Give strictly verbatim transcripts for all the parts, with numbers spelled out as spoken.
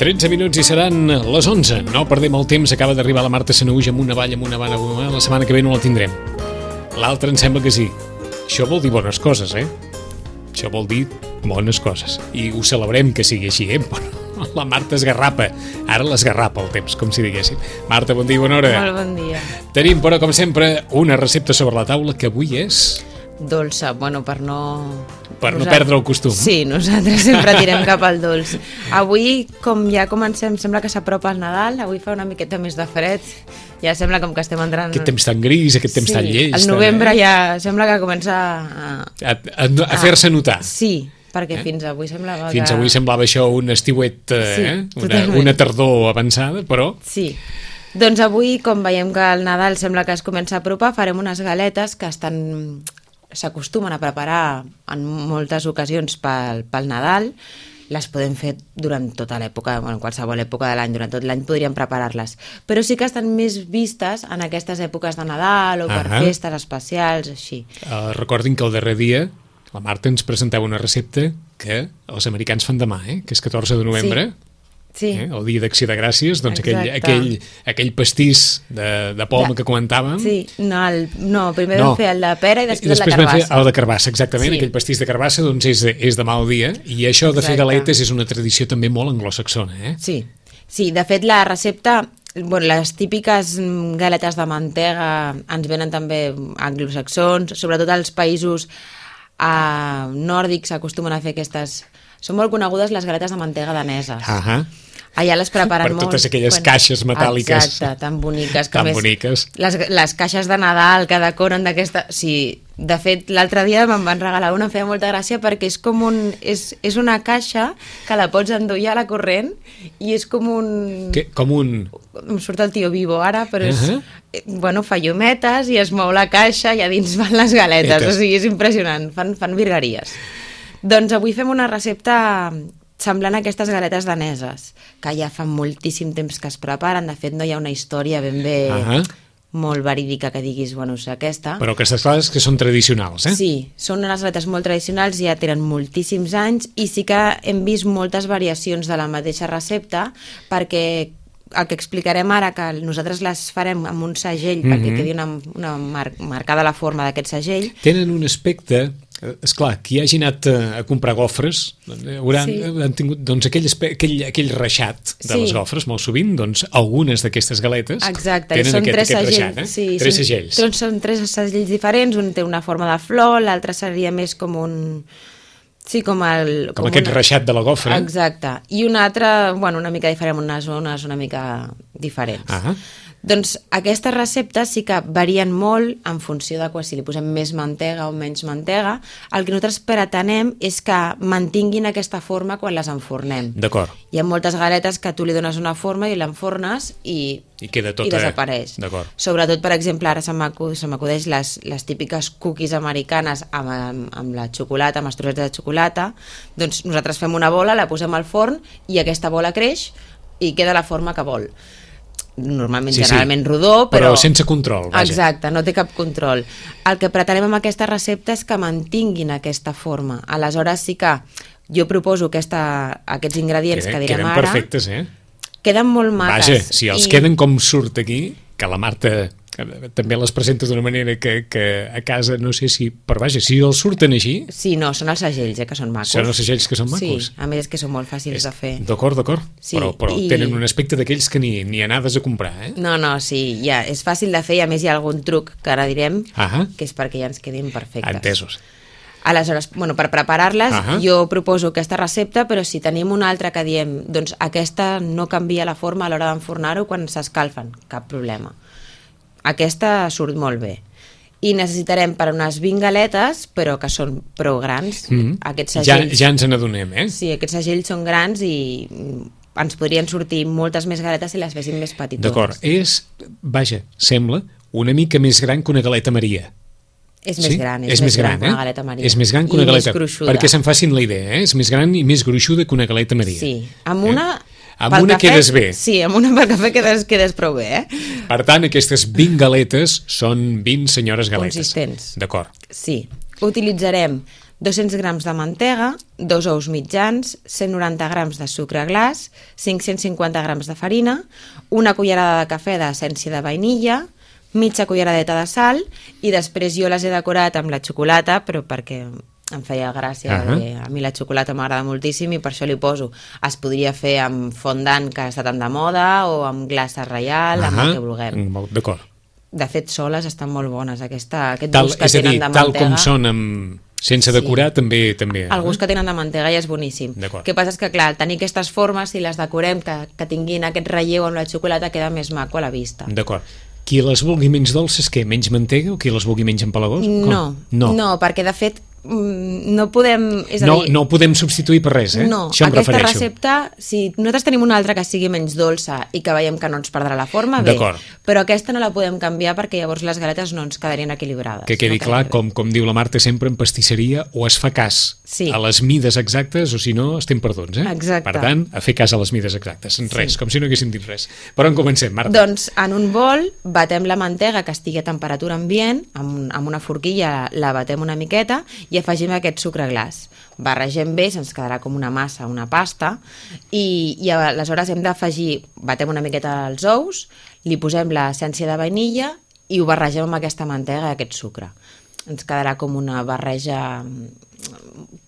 tretze minuts i seran les onze. No perdem el temps, acaba d'arribar la Marta Sanahuja amb una vall, amb una vall, amb una vall. La setmana que ve no la tindrem. L'altra em sembla que sí. Això vol dir bones coses, eh? Això vol dir bones coses. I ho celebrem que sigui així, eh? La Marta esgarrapa. Ara l'esgarrapa el temps, com si diguéssim. Marta, bon dia i bona hora. Molt bon dia. Tenim, però, com sempre, una recepta sobre la taula que avui és... dolça, bueno, per no... Per no perdre el costum. Sí, nosaltres sempre tirem cap al dolç. Avui, com ja comencem, sembla que s'apropa el Nadal, avui fa una miqueta més de fred, ja sembla com que estem entrant... Aquest temps tan gris, aquest temps sí, tan lleig. El novembre eh? ja sembla que comença a... A, a, a fer-se notar. Sí, perquè eh? fins avui semblava Fins que... avui semblava això un estiuet, sí, eh? una, una tardor avançada, però... Sí. Doncs avui, com veiem que el Nadal sembla que es comença a apropar, farem unes galetes que estan... s'acostumen a preparar en moltes ocasions pel, pel Nadal. Les podem fer durant tota l'època, bueno, en qualsevol època de l'any, durant tot l'any podríem preparar-les, però sí que estan més vistes en aquestes èpoques de Nadal o per uh -huh. festes especials, així. Uh, recordin que el darrer dia la Marta ens presentava una recepta que els americans fan demà, eh? Que és catorze de novembre. Sí. Sí. Eh? El dia d'Acció de Gràcies, doncs aquell, aquell, aquell pastís de, de poma de, que comentàvem. Sí, no, el, no primer no. vam fer el de pera i després, després el de carbassa. Després el de carbassa, exactament, sí. Aquell pastís de carbassa doncs és, és demà al dia, i això de Exacte. fer galetes és una tradició també molt anglosaxona, eh? Sí, sí, de fet la recepta, bueno, les típiques galetes de mantega ens venen també anglosaxons, sobretot als països eh, nòrdics acostumen a fer aquestes... Són molt conegudes les galetes de mantega daneses. Ahà. Allà les preparen per molt. totes aquelles quan... caixes metàl·liques. Exacte, tan boniques. Que tan més, boniques. Les, les caixes de Nadal que decoren d'aquesta... Sí, de fet, l'altre dia me'n van regalar una, em feia molta gràcia perquè és com un... És, és una caixa que la pots endollar a la corrent i és com un... Que, com un... Em surt el tio Vivo ara, però és... Uh -huh. Bueno, fa llumetes i es mou la caixa i a dins van les galetes. Etes. O sigui, és impressionant. Fan, fan virgueries. Doncs avui fem una recepta semblant a aquestes galetes daneses, que ja fa moltíssim temps que es preparen. De fet, no hi ha una història ben bé uh -huh. molt verídica que diguis, bueno, és aquesta. Però aquestes coses que són tradicionals, eh? Sí, són unes galetes molt tradicionals, ja tenen moltíssims anys, i sí que hem vist moltes variacions de la mateixa recepta, perquè el que explicarem ara, que nosaltres les farem amb un segell, mm-hmm. perquè quedi una, una mar marcada la forma d'aquest segell. Tenen un aspecte... Esclar, qui hagi anat a, a comprar gofres hauran, sí. han tingut doncs, aquell, aquell, aquell reixat de sí. les gofres, molt sovint, doncs algunes d'aquestes galetes Exacte, tenen són aquest, tres aquest segells, reixat, eh? sí, tres són, segells. Són, són tres segells diferents, un té una forma de flor, l'altre seria més com un... Sí, com el... Com, com aquest una... reixat de la gofra. Exacte, i un altre, bueno, una mica diferent, unes zones una mica diferents. Ah. Doncs aquestes receptes sí que varien molt en funció de si li posem més mantega o menys mantega. El que nosaltres pretenem és que mantinguin aquesta forma quan les enfornem. D'acord. Hi ha moltes galetes que tu li dones una forma i l'enfornes i, I, queda tota... i desapareix. Sobretot, per exemple, ara se m'acudeix les, les típiques cookies americanes amb, amb, amb la xocolata, amb els trossets de xocolata. Doncs nosaltres fem una bola, la posem al forn i aquesta bola creix i queda la forma que vol. Normalment, sí, generalment sí. rodó, però... Però sense control, vaja. Exacte, no té cap control. El que pretenem amb aquesta recepta és que mantinguin aquesta forma. Aleshores sí que jo proposo aquesta, aquests ingredients Queden, que direm queden ara... Queden perfectes, eh? Queden molt maques. Vaja, si els i... queden com surt aquí, que la Marta també les presenta d'una manera que, que a casa no sé si... Però vaja, si els surten així... Sí, no, són els segells, eh, que són macos. Són els segells que són macos. Sí, a més és que són molt fàcils és... de fer. D'acord, d'acord. Sí, però però i... tenen un aspecte d'aquells que ni, ni anades a comprar, eh? No, no, sí, ja, és fàcil de fer i a més hi ha algun truc que ara direm, uh-huh. que és perquè ja ens quedin perfectes. Entesos. Aleshores, bueno, per preparar-les, uh-huh. jo proposo aquesta recepta, però si tenim una altra que diem, doncs aquesta no canvia la forma a l'hora d'enfornar-ho quan s'escalfen, cap problema. Aquesta surt molt bé. I necessitarem per unes vint galetes, però que són prou grans. Mm-hmm. Aquests segells... Ja, ja ens n'adonem, eh? Sí, aquests segells són grans i ens podrien sortir moltes més galetes si les féssim més petitons. D'acord, és, vaja, sembla una mica més gran que una galeta Maria. És més sí? gran, és, és més gran, gran que eh? una galeta Maria. És més gran que una I galeta, més gruixuda. perquè se'n facin la idea, eh? És més gran i més gruixuda que una galeta Maria. Sí, amb una... Eh? Amb una cafè, quedes bé. Sí, amb una per cafè quedes, quedes prou bé, eh? Per tant, aquestes vint galetes són vint senyores galetes. Consistents. D'acord. Sí. Utilitzarem dos-cents grams de mantega, dos ous mitjans, cent noranta grams de sucre glaç, cinc-cents cinquanta grams de farina, una cullerada de cafè d'essència de vainilla, mitja culleradeta de sal, i després jo les he decorat amb la xocolata, però perquè em feia gràcia, uh -huh. a mi la xocolata m'agrada moltíssim i per això li poso. Es podria fer amb fondant, que està tan de moda, o amb glaça reial, uh -huh. amb el que vulguem. D'acord. De fet, soles estan molt bones. Aquesta, aquest tal, gust que és a dir, tenen de mantega... tal com són amb... sense decorar, sí. també... també el gust que tenen de mantega ja és boníssim. El que passa és que, clar, tenir aquestes formes, si les decorem, que, que tinguin aquest relleu amb la xocolata, queda més maco a la vista. D'acord. Qui les vulgui menys dolces, què? Menys mantega o qui les vulgui menys empalagós? No, no, no, perquè de fet no podem... És a no, dir, no podem substituir per res, eh? No, això em aquesta refereixo. recepta, si nosaltres tenim una altra que sigui menys dolça i que veiem que no ens perdrà la forma, bé, però aquesta no la podem canviar perquè llavors les galetes no ens quedarien equilibrades. Que quedi no clar, com, com diu la Marta sempre, en pastisseria o es fa cas sí. a les mides exactes o si no estem perduts, eh? Exacte. Per tant, a fer cas a les mides exactes, en res, sí. com si no haguéssim dit res. Per on comencem, Marta? Doncs en un bol batem la mantega que estigui a temperatura ambient, amb, amb una forquilla la batem una miqueta i afegim aquest sucre glaç. Barregem bé, se'ns quedarà com una massa, una pasta, i, i aleshores hem d'afegir, batem una miqueta els ous, li posem l'essència de vainilla i ho barregem amb aquesta mantega i aquest sucre. Ens quedarà com una barreja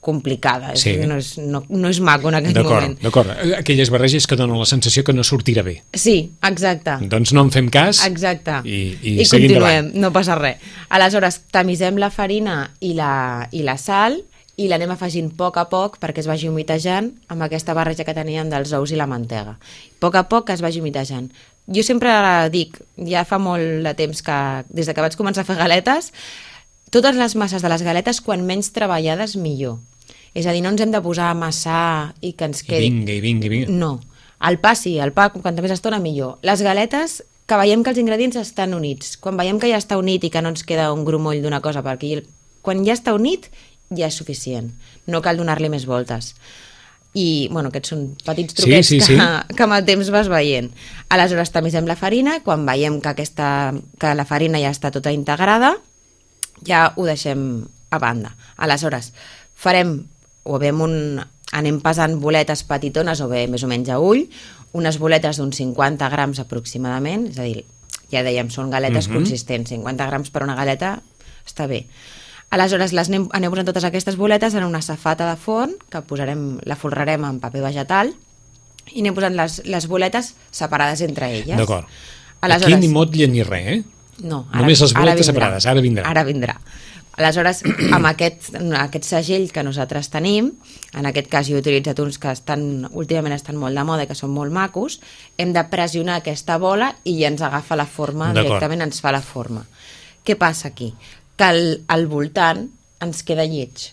complicada, sí. no, és, no, no és maco en aquest moment. D'acord, aquelles barreges que donen la sensació que no sortirà bé. Sí, exacte. Doncs no en fem cas exacte. i, i, I seguim continuem, davant. No passa res. Aleshores, tamisem la farina i la, i la sal i l'anem afegint a poc a poc perquè es vagi humitejant amb aquesta barreja que teníem dels ous i la mantega. A poc a poc que es vagi humitejant. Jo sempre dic, ja fa molt de temps que, des de que vaig començar a fer galetes, totes les masses de les galetes, quan menys treballades, millor. És a dir, no ens hem de posar a amassar i que ens quedi... I vinga, i vinga, i vinga. No. El pa sí, el pa, quanta més estona, millor. Les galetes, que veiem que els ingredients estan units. Quan veiem que ja està unit i que no ens queda un grumoll d'una cosa per aquí, quan ja està unit, ja és suficient. No cal donar-li més voltes. I, bueno, aquests són petits truquets sí, sí, sí. que, que amb el temps vas veient. Aleshores, tamisem la farina. Quan veiem que, aquesta, que la farina ja està tota integrada, ja ho deixem a banda. Aleshores, farem, o bé un, anem pesant boletes petitones, o bé més o menys a ull, unes boletes d'uns cinquanta grams aproximadament, és a dir, ja dèiem, són galetes uh-huh. consistents, cinquanta grams per una galeta està bé. Aleshores, les anem, anem posant totes aquestes boletes en una safata de forn, que posarem, la folrarem amb paper vegetal, i anem posant les, les boletes separades entre elles. D'acord. Aleshores, aquí ni motlle ni res, eh? No, ara, només les boletes ara separades, ara vindrà. Ara vindrà. Aleshores, amb aquest, aquest segell que nosaltres tenim, en aquest cas jo he utilitzat uns que estan, últimament estan molt de moda i que són molt macos, hem de pressionar aquesta bola i ja ens agafa la forma, directament ens fa la forma. Què passa aquí? Que al, al voltant ens queda lleig.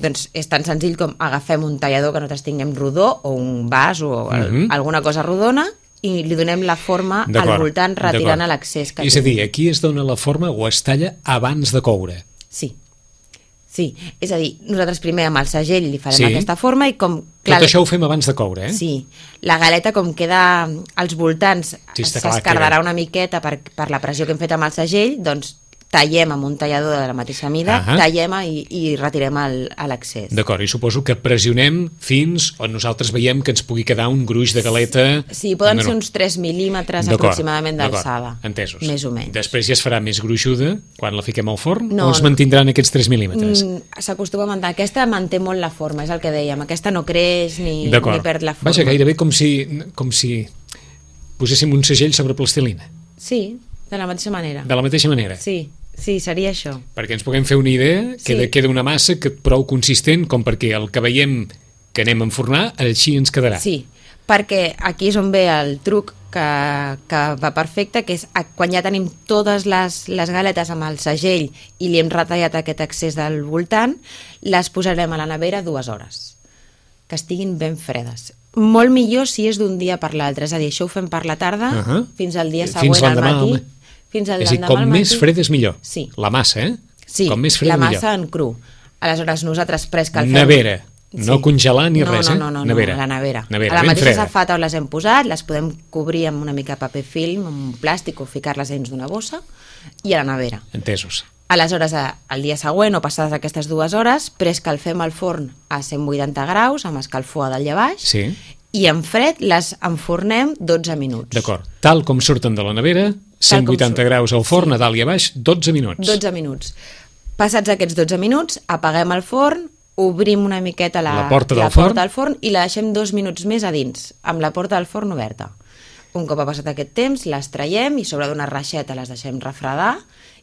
Doncs és tan senzill com agafem un tallador que nosaltres tinguem rodó o un vas o uh-huh. alguna cosa rodona i li donem la forma al voltant retirant l'excés que és a dir, aquí es dona la forma o es talla abans de coure. Sí, sí, és a dir, nosaltres primer amb el segell li farem sí. aquesta forma i com... Clar, tot això ho fem abans de coure, eh? Sí, la galeta com queda als voltants sí, s'escardarà una miqueta per, per la pressió que hem fet amb el segell, doncs tallem amb un tallador de la mateixa mida, uh-huh. tallem i, i retirem l'excés. D'acord, i suposo que pressionem fins on nosaltres veiem que ens pugui quedar un gruix de galeta... Sí, poden ser uns tres mil·límetres aproximadament d'alçada. Entesos. Més o menys. Després ja es farà més gruixuda quan la fiquem al forn no, o es mantindran aquests tres mil·límetres? S'acostuma a mantenir. Aquesta manté molt la forma, és el que dèiem. Aquesta no creix ni, ni perd la forma. Vaja, gairebé com si, com si poséssim un segell sobre plastilina. Sí, de la mateixa manera. De la mateixa manera? Sí. Sí, seria això. Perquè ens puguem fer una idea, queda, sí. queda una massa que prou consistent com perquè el que veiem que anem a enfornar, així ens quedarà. Sí, perquè aquí és on ve el truc que, que va perfecte, que és quan ja tenim totes les, les galetes amb el segell i li hem retallat aquest excés del voltant, les posarem a la nevera dues hores, que estiguin ben fredes. Molt millor si és d'un dia per l'altre, és a dir, això ho fem per la tarda, uh-huh. fins al dia següent al matí. Home. Fins al és a dir, com més fred és millor. Sí. La massa, eh? Sí, com més fred la millor. massa en cru. Aleshores, nosaltres pres que el fem... Nevera, no sí. congelar ni no, res, eh? No, no, no, nevera. no, a la nevera. nevera a la mateixa freda. safata on les hem posat, les podem cobrir amb una mica de paper film, amb un plàstic o ficar-les dins d'una bossa i a la nevera. Entesos. Aleshores, el dia següent o passades aquestes dues hores, preescalfem el forn a cent vuitanta graus, amb escalfor a dalt i a baix, Sí. i en fred les enfornem dotze minuts. D'acord. Tal com surten de la nevera, cent vuitanta graus al forn, a dalt i a baix, dotze minuts. dotze minuts. Passats aquests dotze minuts, apaguem el forn, obrim una miqueta la, La porta del la forn. porta del forn i la deixem dos minuts més a dins, amb la porta del forn oberta. Un cop ha passat aquest temps, les traiem i sobre d'una reixeta les deixem refredar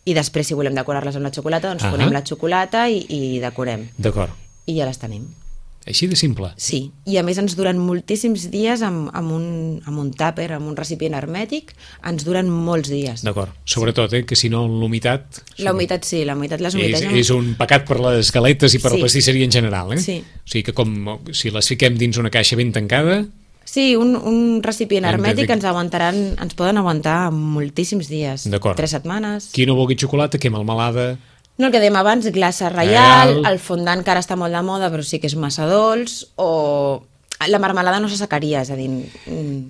i després, si volem decorar-les amb la xocolata, doncs Ah. ponem la xocolata i, i decorem. D'acord. I ja les tenim. Així de simple. Sí, i a més ens duren moltíssims dies amb, amb, un, amb un tàper, amb un recipient hermètic, ens duren molts dies. D'acord. Sobretot, eh, que si no l'humitat... La humitat sí, la humitat les És, humitats... és un pecat per les galetes i per Sí. la pastisseria en general, eh? Sí. O sigui que com si les fiquem dins una caixa ben tancada... Sí, un, un recipient Hem de hermètic dir- ens aguantaran, ens poden aguantar moltíssims dies. D'acord. Tres setmanes. Qui no vulgui xocolata, que melmelada... No, el que dèiem abans, glaça reial, Reial. el fondant que ara està molt de moda però sí que és massa dolç, o la marmelada no s'assecaria, és a dir, mm,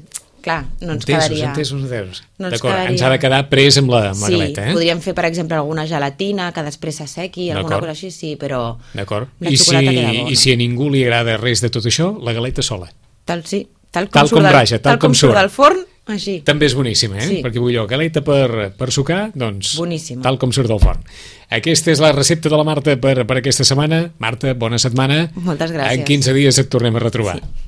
clar, no ens Entesos, quedaria... entesos, entesos. No ens D'acord, quedaria- ens ha de quedar pres amb la, amb la Sí, galeta, eh? podríem fer, per exemple, alguna gelatina que després s'assequi, alguna D'acord. cosa així, sí, però D'acord. la I si, xocolata queda bona. I si a ningú li agrada res de tot això, la galeta sola. Tal, sí, tal com, Tal surt com del, raja, tal com surt surt. del forn, així. També és boníssima, eh? Sí. Perquè vull jo, galeta per, per sucar, doncs... Boníssima. Tal com surt del forn. Aquesta és la recepta de la Marta per, per aquesta setmana. Marta, bona setmana. Moltes gràcies. En quinze dies et tornem a retrobar. Sí.